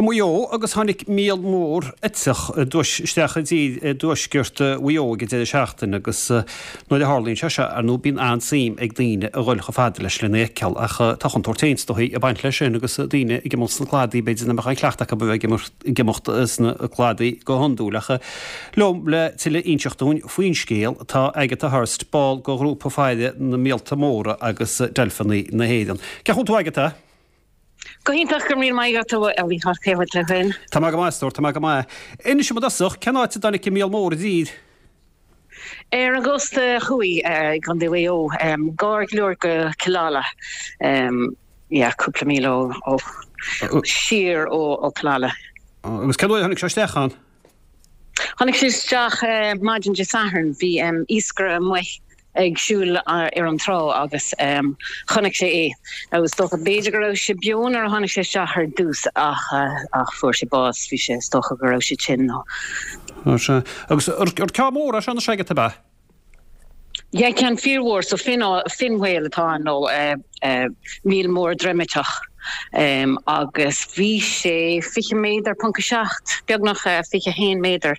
Maigh Eo agus tháinig míol mór eiteach isteach i dtír i dtuaisceart Mhaigh Eo ag an deireadh seachtaine agus nuair a tharlaíonn sé seo, ar ndóigh, bíonn an-suim ag daoine a dhul chomh fada leis lena fheiceáil ach tá contúirt féin is dóigh ag baint leis sin agus daoine ag imeacht sna cladaí, b'fhéidir nach mbeadh aon chleachtadh acu a bheith ag imeacht sna cladaí go hiondúil. Ach liom le tuilleadh a inseacht dúinn faoin scéal tá Agatha Hurst, ball de ghrúpa faire na míolta móra agus deilfeanna na hÉireann. Cén chaoi a bhfuil tú Agatha? Go hiontach, go raibh míle maith agat a Mhícheáil, cén chaoi a bhfuil tú féin? Tá mé go maith, a stór, tá mé go maith. Inis dom i dtosach, cén áit a dtáinig an míol mór i dtír? Ar an gcósta thuaidh, i gContae Mhaigh Eo, gar go leor go Cill Ala, yeah, cúpla míle ó, siar ó Cill Ala. Agus cén uair a tháinig sé isteach ann? Tháinig sé isteach maidin Dé Sathairn. Bhí iascaire amuigh ag siúl ar an trá agus chonaic sé é. Now is dócha, b'fhéidir go raibh sé beo nuair a tháinig sé isteach ar dtús ach ach fuair sé bás, bhí sé, is dócha go raibh sé tinn nó. Sea. Agus ar ceann mór é seo anois Agatha, ab ea? Yeah, ceann fíormhór, so fin, fin whale atá ann nó míol mór droimeiteach agus bhí sé 20 méadar ponc 7, beagnach 21 méadar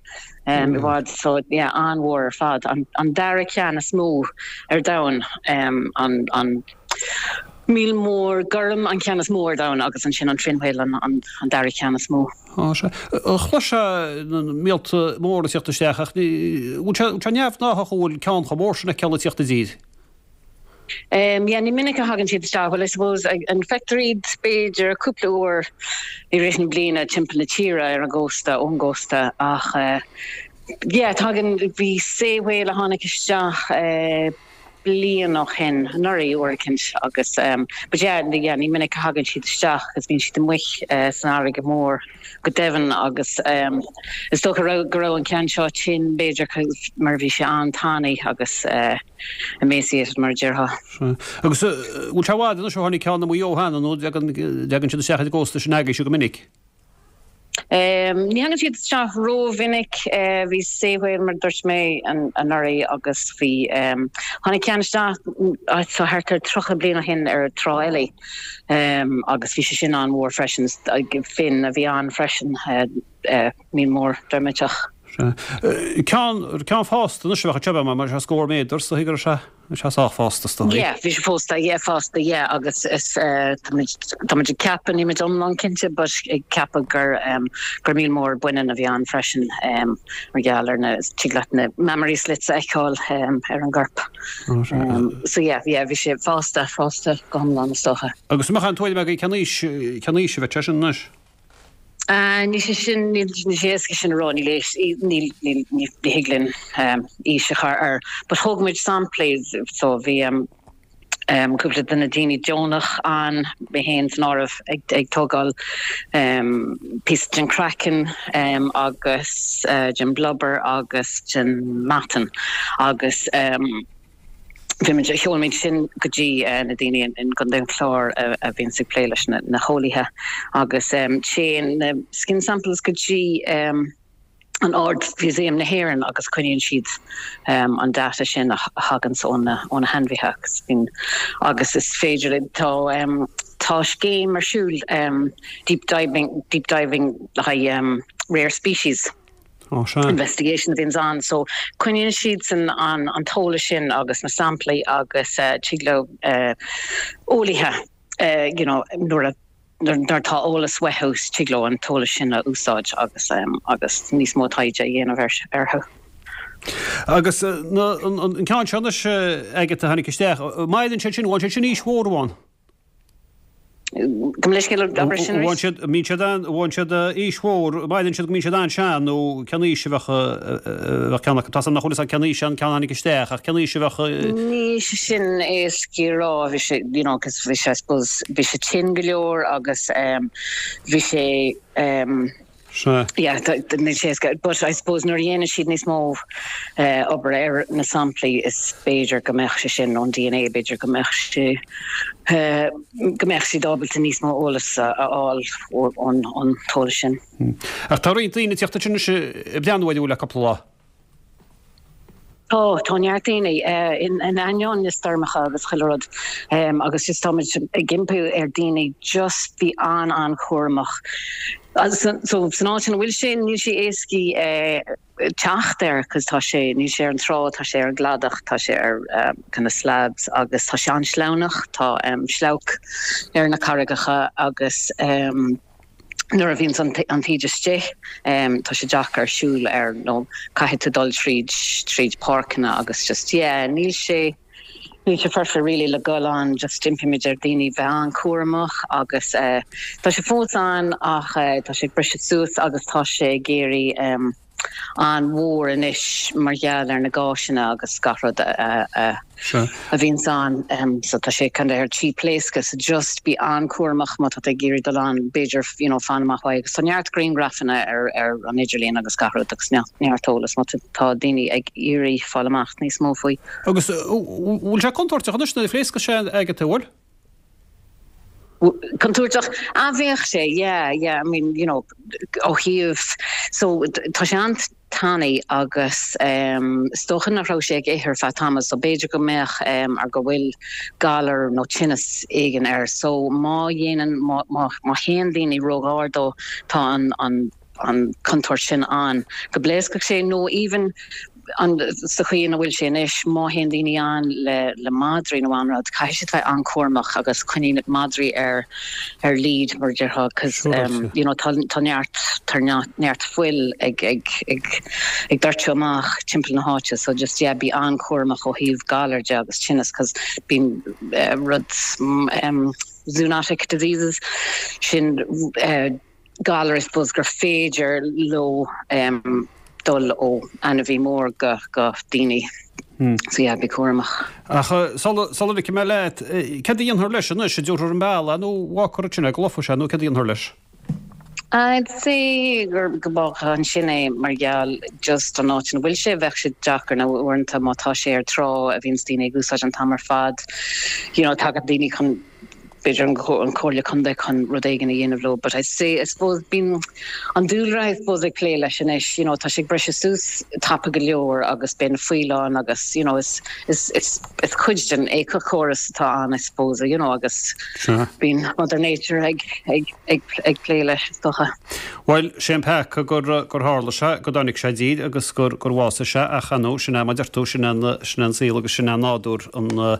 i bhfad, so yeah, an-mhór ar fad. An dara ceann is mó ar domhan, an míol mór gorm an ceann is mó ar domhan agus ansin an fin whale an dara ceann is mó. Á, sea. Chloisfeá na míolta móra ag tíocht isteach ach ní, bhfuil sé, bhfuil sé neamhghnáthach an bhfuil ceann chomh mór sin a fheiceáil ag tíocht i dtír? Yeah, ní minic a thagann siad isteach. Well, I suppose, an feictear iad b'fhéidir cúpla uair i rith na bliana timpeall na tíre ar an gcósta, ón gcósta ach yeah, tagann, bhí sei whale a tháinig isteach bliain ó shin, anuraidh, uair eicínt agus but yeah, yeah, ní minic a thagann siad isteach agus bíonn siad amuigh san fharraige mhór go doimhin agus is dócha raibh, go raibh an ceann seo tinn b'fhéidir cos mar bhí sé an-tanaí agus emaciated mar a déarfá. Sea. Agus bhfuil sé i bhfad anois ó tháinig ceann i Maigh Eo cheana nó dtagann, dtagann siad isteach ar an gcósta sin agaibhse go minic? Ní thagann siad isteach rómhinic. Bhí sei whale, mar a dúirt mé, anuraidh agus bhí, tháinig ceann isteach so thart ar 30 bliain ó shin ar Trá Eilí agus bhí sé sin an-mhór freisin. Fin a bhí ann freisin, míol mór droimeiteach. Sea. Ceann, ceann fásta anois a bheadh anseo, bheadh mar sé scór méadar, is dóigh go raibh sé. Bhí sé sách fásta, is dóigh. Yeah, bhí sé fásta, yeah, fásta, yeah, agus is táimid, táimid ag ceapadh, nílimid iomlán cinnte, but ag ceapadh gur, gur míol mór baineann a bhí ann freisin, mar gheall ar na, tig leat na mammary slits a fheiceáil ar an gcorp. So yeah, yeah, bhí sé fásta, fásta go hiomlán, is dócha. Agus an mbeadh aon tuairim agaibh cén aois, cén aois a bheadh sé sin anois? Níl sé sin, níl sé éasca sin a rá, níl níl níl ní thig linn aois a chur air. But thóg muid samplaí, so bhí cúpla de na daoine deonach ann, mé féin san áireamh, ag ag tógáil píosa den craiceann agus den blubber agus den meatan agus Bhí muid, sheol muid sin go dtí na daoine in gContae an Chláir a bhíonns ag plé leis na heolaithe agus téann na skin samples go dtí an Ard-Mhúsaem na hÉireann agus coinníonn siad an data sin a thaganns ó na ó na hainmhithe agus bíonn agus is féidir le tá tá scéim ar siúl deep diving deep diving le haghaidh rare species. investigation a bhíonns ann. So coinníonn siadsan an an t-eolas sin agus na samplaí agus tig leo eolaithe you know nuair a nuair atá eolas uathu tig leo an t-eolas sin a úsáid agus agus níos mó taighde a dhéanamh orthu. Agus an ceann seo anois Agatha a tháinig isteach, maireann siad sin, bhfuil siad sin aois mhór amháin? Gabh mo leithscéal, abair sin arís. Bhfuil siad, mbíonn siad an, bhfuil siad aois mhór, maireann siad go mbíonn siad an-sean nó cén aois a bheadh, a bheadh ceann acu. Tá 's agam nach bhfuil 'fhios a'd cén aois an ceann a tháinig isteach ach cén aois a bheadh. Níl sé sin éasca a rá, bhí sé, you know, 'cause bhí sé, I suppose, bhí sé tinn go leor agus bhí sé, Sea. Yeah, níl sé éasca. But I suppose nuair a dhéanann siad níos mó obair ar na samplaí is b'fhéidir go mbeadh sé sin ón DNA, b'fhéidir go mbeadh sé, go mbeadh siad ábalta níos mó eolas a fháil ón t-eolas sin. Ach tá roinnt daoine ag tíocht ansin anois ag breathnú air le cúpla lá. Tá, tá neart daoine, in ainneoin na stoirmeacha agus chuile rud, agus just táimid ag impí ar daoine just bí an-an-chúramach. So san áit ina bhfuil sé, níl sé éascaí teacht air cos tá sé, níl sé ar an trá, tá sé ar an gcladach, tá sé ar kind of slabs agus tá sé an-sleamhnach, tá sleabhc ar na carraigeacha agus nuair a bhíonns an taoide istigh tá sé deacair siúl air nó caithfidh tú dul tríd tríd páirceanna agus just yeah níl sé Níl sé foirfe really le dhul ann, just impímid ar daoine bheith an-chúramach agus tá sé fós ann ach tá sé ag briseadh suas agus tá sé ag éirí an-mhór anois mar gheall ar na gáiseanna agus gach rud a a bhíonns ann. So tá sé kind of ar tí pléascadh so just bí an-chúramach má tá tú ag iarraidh dul ann, b'fhéidir you know fan amach uaidh agus tá neart grianghrafanna ar ar an idirlíon agus gach rud agus neart eolas má tá daoine ag iarraidh fáil amach níos mó faoi. Agus bhfuil sé contúirteach anois nuair a phléascas sé Agatha, bhfuil? Contúirteach? Ah bheadh sé, yeah, yeah, I mean, you know, ó thaobh, so tá sé an-tanaí agus is dócha nach raibh sé ag ithe ar feadh tamaill so b'fhéidir go mbeadh or go bhfuil galar nó tinneas éigin air so má dhéanann, má, má, má théann daoine róghar dó tá an, an, an chontúirt sin ann go bpléascfadh sé nó even an sa chaoi ina bhfuil sé anois má théann daoine ann le le madraí nó aon rud caithfidh siad bheith an-chúramach agus coinnigh madraí ar ar lead mar a déarfá cos you know tá tá neart tá neart fuil ag ag ag ag doirteadh amach timpeall na háite so just yeah bí an-chúramach ó thaobh galar de agus tinneas cos bíonn rud zoonotic diseases sin galar I suppose gur féidir leo dul ó ainmhí mór go go daoine. So yeah, bí cúramach. Ach sula sula ligfidh mé leat, céard a dhéanfar leis anois? An dtabharfar an bealach nó fágfar ansin é go lofa sé nó céard a dhéanfar leis? I'd say gur go bhfágfar ansin é mar gheall just an áit ina bhfuil sé, bheadh sé deacair nó uaireanta má tá sé ar trá a bhíonns daoine ag úsáid an t-am ar fad, you know tagann daoine chun b'fhéidir an Comhairle Contae chun rud éigin a dhéanamh leo but I say I suppose bíonn an dúlra I suppose ag plé leis anois you know tá sé ag briseadh suas tapa go leor agus beidh na fuil ann agus you know is is is is cuid den éiceachóras atá ann I suppose you know agus bíonn Mother Nature ag ag ag ag plé leis is dócha. Bhuel, sé an peaca gur gur tharla sé, go dtáinig sé i dtír agus gur gur bhásaigh sé ach ar ndóigh sin é mar a deir tú, sin é an sin é an saol agus sin é nádúr an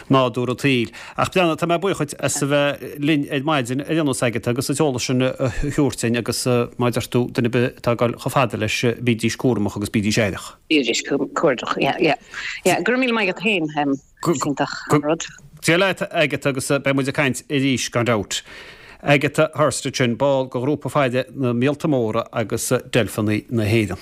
nádúr an tsaoil. Ach breathnaigh, tá mé buíoch dhuit as a bheith linn ar maidin ar aon nós Agatha agus an t-eolas sin a thabhairt duinn agus mar a deir tú, duine ar bith atá ag dul chomh fada leis, bídís cúramach agus bídís aireach. Bídís cuardach, yeah, yeah. Yeah, go raibh míle maith agat féin, is iontach an rud. Dia leat Agatha agus beidh muid ag caint arís gan dabht. Agatha Hurst ansin, ball de ghrúpa faire na Míolta Móra agus Deilfeanna na hÉireann.